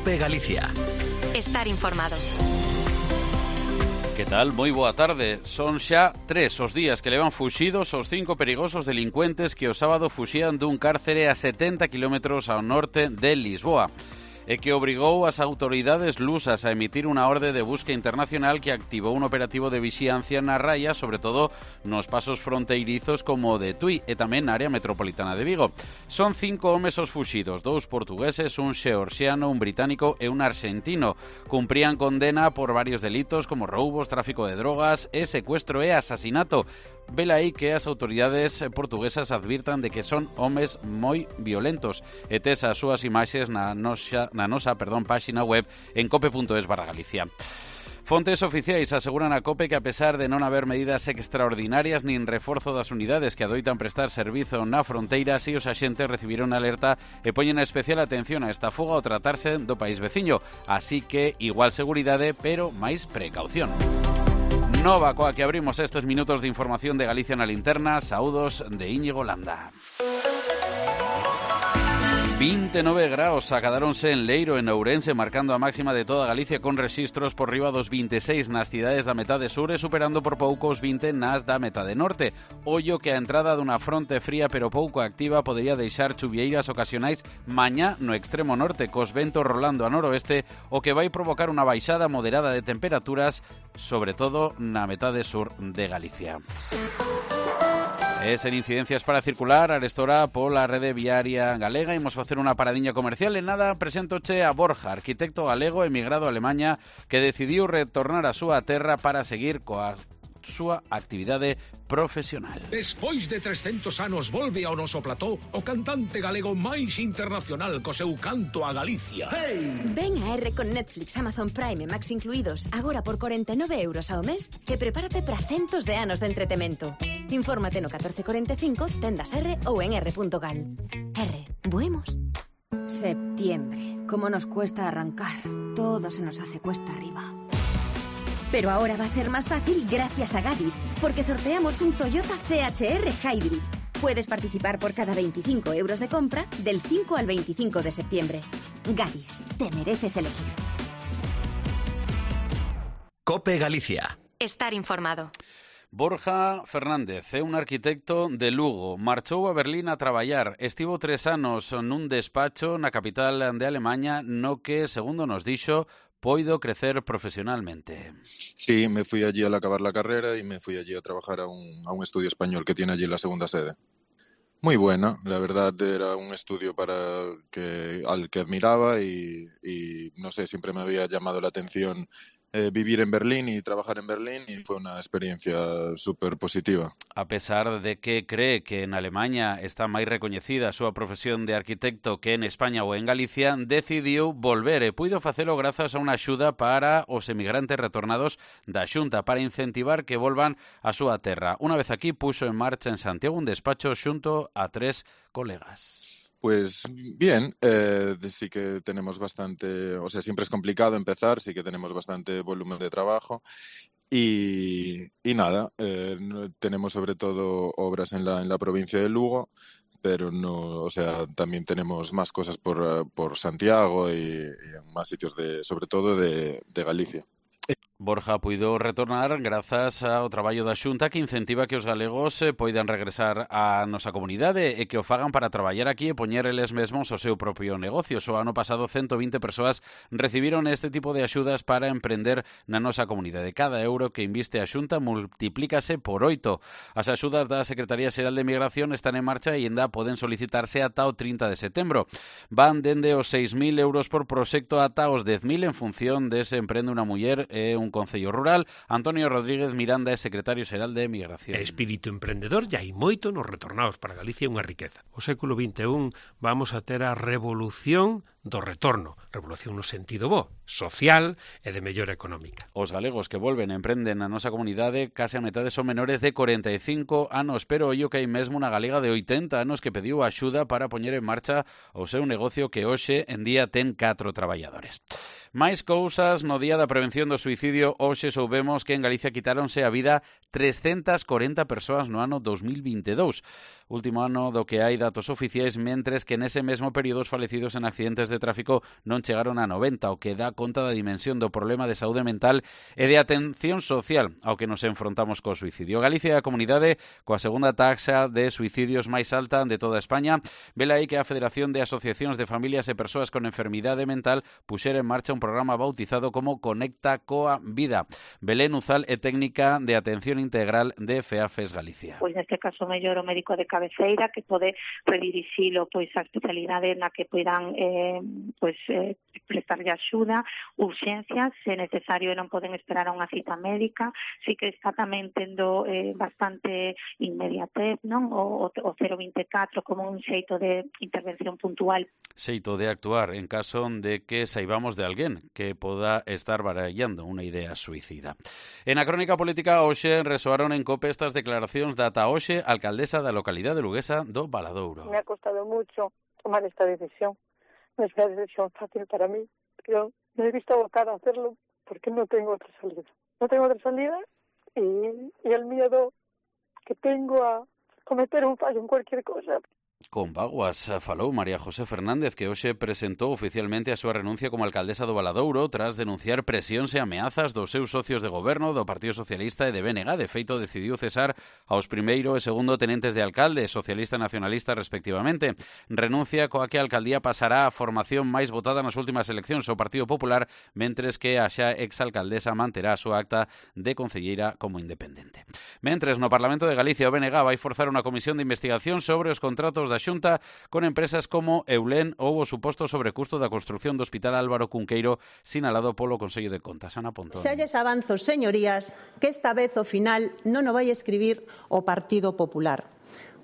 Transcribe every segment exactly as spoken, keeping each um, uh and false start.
COPE Galicia. Estar informado. Que tal? Moi boa tarde. Son xa tres os días que levan fuxidos os cinco perigosos delincuentes que o sábado fuxían dun cárcere a setenta kilómetros ao norte de Lisboa e que obrigou as autoridades lusas a emitir unha orde de busca internacional que activou un operativo de vixiancia na raya, sobre todo nos pasos fronteirizos como o de Tui e tamén na área metropolitana de Vigo. Son cinco homes os fuxidos, dous portugueses, un xeorxiano, un británico e un arxentino. Cumprían condena por varios delitos como roubos, tráfico de drogas e secuestro e asasinato. Vela aí que as autoridades portuguesas advirtan de que son homes moi violentos e tes as súas imaxes na nosa na nosa, perdón, páxina web en cope punto es barra Galicia. Fontes oficiais aseguran a COPE que a pesar de non haber medidas extraordinarias nin reforzo das unidades que adoitan prestar servizo na fronteira, si os axentes recibiron alerta e poñen especial atención a esta fuga ao tratarse do país veciño, así que igual seguridade, pero máis precaución. Nova coa que abrimos estes minutos de información de Galicia na linterna. Saúdos de Íñigo Landa. vinte e nove graos acadáronse en Leiro, en Ourense, marcando a máxima de toda Galicia con rexistros por riba dos vinte e seis nas cidades da metade sur e superando por pouco os vinte nas da metade norte. Ollo que a entrada dunha fronte fría pero pouco activa podería deixar chuvieiras ocasionais mañá no extremo norte, cos ventos rolando a noroeste, o que vai provocar unha baixada moderada de temperaturas, sobre todo na metade sur de Galicia. E sen incidencias para circular, arestora pola rede viaria galega. Imos facer unha paradiña comercial. En nada, presentoche a Borja, arquitecto galego emigrado a Alemanha, que decidiu retornar a súa terra para seguir coa súa actividade profesional. Despois de trescentos anos volve ao noso plató o cantante galego máis internacional co seu canto a Galicia. Hey! Ven a R con Netflix, Amazon Prime e Max incluídos agora por corenta e nove euros ao mes e prepárate para centos de anos de entretemento. Infórmate no catorce cuarenta e cinco, tendas R ou en r punto gal. R, buemos. Septiembre. Cómo nos cuesta arrancar. Todo se nos hace cuesta arriba. Pero ahora va a ser más fácil gracias a Gadis, porque sorteamos un Toyota C H R Hybrid. Puedes participar por cada veinticinco euros de compra del cinco al veinticinco de septiembre. Gadis, te mereces elegir. COPE Galicia. Estar informado. Borja Fernández é un arquitecto de Lugo. Marchou a Berlín a traballar. Estivo tres anos nun despacho na capital de Alemaña no que, segundo nos dixo, poido crecer profesionalmente. Sí, me fui allí al acabar la carrera y me fui allí a trabajar a un, a un estudio español que tiene allí la segunda sede. Muy buena, la verdad era un estudio para que, al que admiraba y, y no sé, siempre me había llamado la atención eh, vivir en Berlín y trabajar en Berlín y fue una experiencia súper positiva. A pesar de que cree que en Alemania está máis recoñecida a súa profesión de arquitecto que en España ou en Galicia, decidiu volver e puido facelo grazas a unha axuda para os emigrantes retornados da Xunta para incentivar que volvan a súa terra. Unha vez aquí puxo en marcha en Santiago un despacho xunto a tres colegas. Pues bien, eh, sí que tenemos bastante, o sea, siempre es complicado empezar, sí que tenemos bastante volumen de trabajo y, y nada, eh, tenemos sobre todo obras en la, en la provincia de Lugo, pero no, o sea, también tenemos más cosas por, por Santiago y, y en más sitios, de, sobre todo de, de Galicia. Borja puido retornar grazas ao traballo da Xunta que incentiva que os galegos eh, poidan regresar á nosa comunidade e que o fagan para traballar aquí e poñer eles mesmos o seu propio negocio. O ano pasado ciento vinte persoas recibiron este tipo de axudas para emprender na nosa comunidade. Cada euro que inviste a Xunta multiplícase por oito. As axudas da Secretaría Xeral de Migración están en marcha e ainda poden solicitarse ata o trinta de setembro. Van dende os seis mil euros por proxecto ata os dez mil en función de se emprende unha muller e un concello rural. Antonio Rodríguez Miranda é secretario xeral de Migración. Espírito emprendedor ya hai moito nos retornados para Galicia unha riqueza. O século vinte e un vamos a ter a revolución do retorno, revolución no sentido bo, social e de mellora económica. Os galegos que volven e emprenden na nosa comunidade case a metade son menores de corenta e cinco anos, pero ollo que hai mesmo unha galega de oitenta anos que pediu axuda para poñer en marcha o seu negocio que hoxe en día ten catro traballadores. Máis cousas, no día da prevención do suicidio, hoxe soubemos que en Galicia quitáronse a vida trescentas corenta persoas no ano dos mil vinte e dous, último ano do que hai datos oficiais, mentres que nese mesmo período os falecidos en accidentes de de tráfico non chegaron a noventa, o que dá conta da dimensión do problema de saúde mental e de atención social ao que nos enfrontamos co suicidio. Galicia é a comunidade coa segunda taxa de suicidios máis alta de toda España. Vela aí que a Federación de Asociacións de Familias e Persoas con Enfermidade Mental puxera en marcha un programa bautizado como Conecta coa Vida. Belén Uzal é técnica de atención integral de FEAFES Galicia. Pois neste caso mellor o médico de cabeceira que pode redirixilo pois a especialidade na que poidan eh, pois eh, prestarlle axuda, urxencias, se necesario e non poden esperar a unha cita médica. Si que está tamén tendo eh, bastante inmediatez, non? O, o cero vinte e catro como un xeito de intervención puntual. Xeito de actuar en caso de que saibamos de alguén que poda estar barallando unha idea suicida. En a crónica política hoxe resoaron en COPE estas declaracións da ata hoxe alcaldesa da localidade luguesa do Valadouro. Me ha costado mucho tomar esta decisión. No es una decisión fácil para mí, pero me he visto abocada a hacerlo porque no tengo otra salida. No tengo otra salida y, y el miedo que tengo a cometer un fallo en cualquier cosa. Con vaguas falou María José Fernández, que hoxe presentou oficialmente a súa renuncia como alcaldesa do Valadouro tras denunciar presións e ameazas dos seus socios de goberno do Partido Socialista e de B N G. De feito, decidiu cesar aos primeiro e segundo tenentes de alcalde, socialista e nacionalista respectivamente. Renuncia coa que a alcaldía pasará a formación máis votada nas últimas eleccións, o Partido Popular, mentres que a xa exalcaldesa manterá a súa acta de concelleira como independente. Mentres, no Parlamento de Galicia, o B N G vai forzar unha comisión de investigación sobre os contratos da Xunta con empresas como Eulén ou o suposto sobrecusto da construción do Hospital Álvaro Cunqueiro sinalado polo Consello de Contas. Ana Pontón. Xa lles avanzo, señorías, que esta vez o final non o vai escribir o Partido Popular.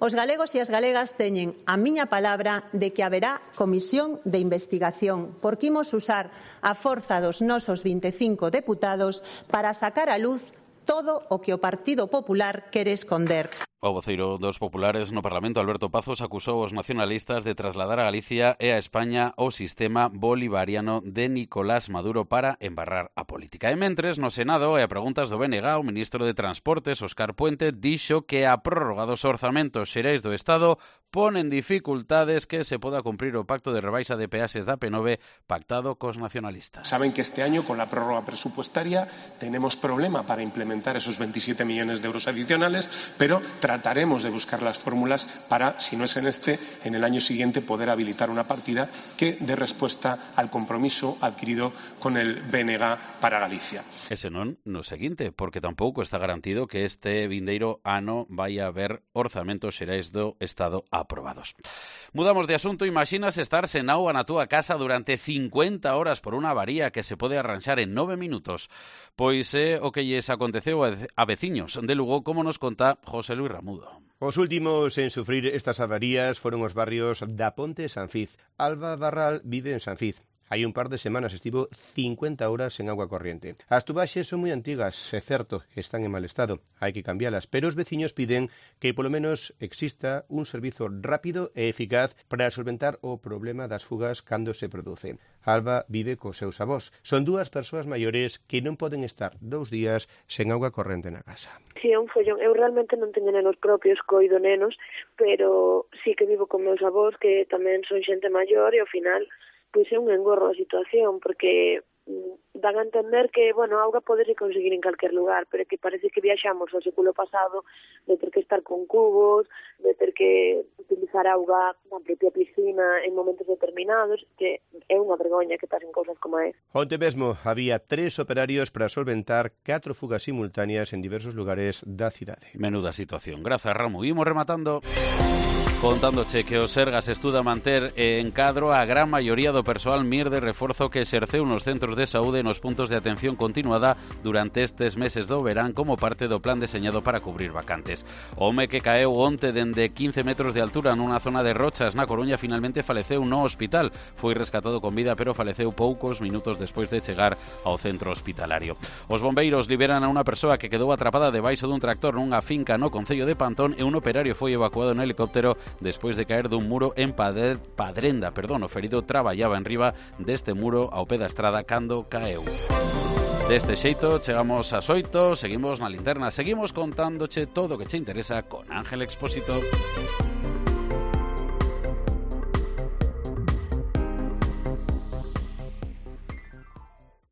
Os galegos e as galegas teñen a miña palabra de que haberá comisión de investigación, porque imos usar a forza dos nosos vinte e cinco deputados para sacar a luz todo o que o Partido Popular quere esconder. O voceiro dos populares no Parlamento, Alberto Pazos, acusou os nacionalistas de trasladar a Galicia e a España o sistema bolivariano de Nicolás Maduro para embarrar a política. E mentres, no Senado, e a preguntas do B N G, o ministro de Transportes, Óscar Puente, dixo que a prórroga dos orzamentos xerais do Estado ponen dificultades que se poda cumprir o pacto de rebaixa de peaxes da P nove pactado cos nacionalistas. Saben que este año, con la prórroga presupuestaria, tenemos problema para implementar esos veintisiete millones de euros adicionales, pero trataremos de buscar las fórmulas para, si no es en este, en el año siguiente poder habilitar una partida que dé respuesta al compromiso adquirido con el B N G para Galicia. Ese non no seguinte, porque tampouco está garantido que este vindeiro ano vai a haber orzamentos xerais do Estado aprobados. Mudamos de asunto. Imaxinas estar sen auga na túa casa durante cincuenta horas por unha avaría que se pode arranxar en nove minutos. Pois é o que lles aconteceu a veciños de Lugo, como nos conta José Luis Ramudo. Os últimos en sufrir estas avarías foron os barrios da Ponte e Sanfiz. Alba Barral vive en Sanfiz. Hai un par de semanas estivo cincuenta horas sen agua corriente. As tubaxes son moi antigas, é certo, están en mal estado. Hai que cambialas, pero os veciños piden que polo menos exista un servizo rápido e eficaz para solventar o problema das fugas cando se produce. Alba vive cos seus avós. Son dúas persoas maiores que non poden estar dous días sen auga corrente na casa. Si, é un follón. Eu realmente non teño nenos propios, coido nenos, pero sí que vivo con meus avós, que tamén son xente maior, e ao final pois é un engorro a situación, porque dan a entender que, bueno, a auga podes conseguir en calquer lugar, pero que parece que viaxamos ao século pasado de ter que estar con cubos, de ter que utilizar auga na propia piscina en momentos determinados, que é unha vergoña que pasen cousas como é. Onte mesmo había tres operarios para solventar catro fugas simultáneas en diversos lugares da cidade. Menuda situación. Grazas, Ramu. Imos rematando contándoche que o Sergas estuda manter en cadro a gran maioría do persoal M I R de reforzo que exerceu nos centros de saúde e nos puntos de atención continuada durante estes meses do verán como parte do plan deseñado para cubrir vacantes. O home que caeu onte dende quince metros de altura nunha zona de Rochas na Coruña finalmente faleceu no hospital. Foi rescatado con vida, pero faleceu poucos minutos despois de chegar ao centro hospitalario. Os bombeiros liberan a unha persoa que quedou atrapada debaixo dun tractor nunha finca no concello de Pantón e un operario foi evacuado en helicóptero despois de caer dun muro en Padre, Padrenda. Perdón, o ferido traballaba en riba deste muro ao pé da estrada cando caeu. Deste xeito, chegamos ás oito, seguimos na linterna, seguimos contándoche todo o que che interesa con Ángel Expósito.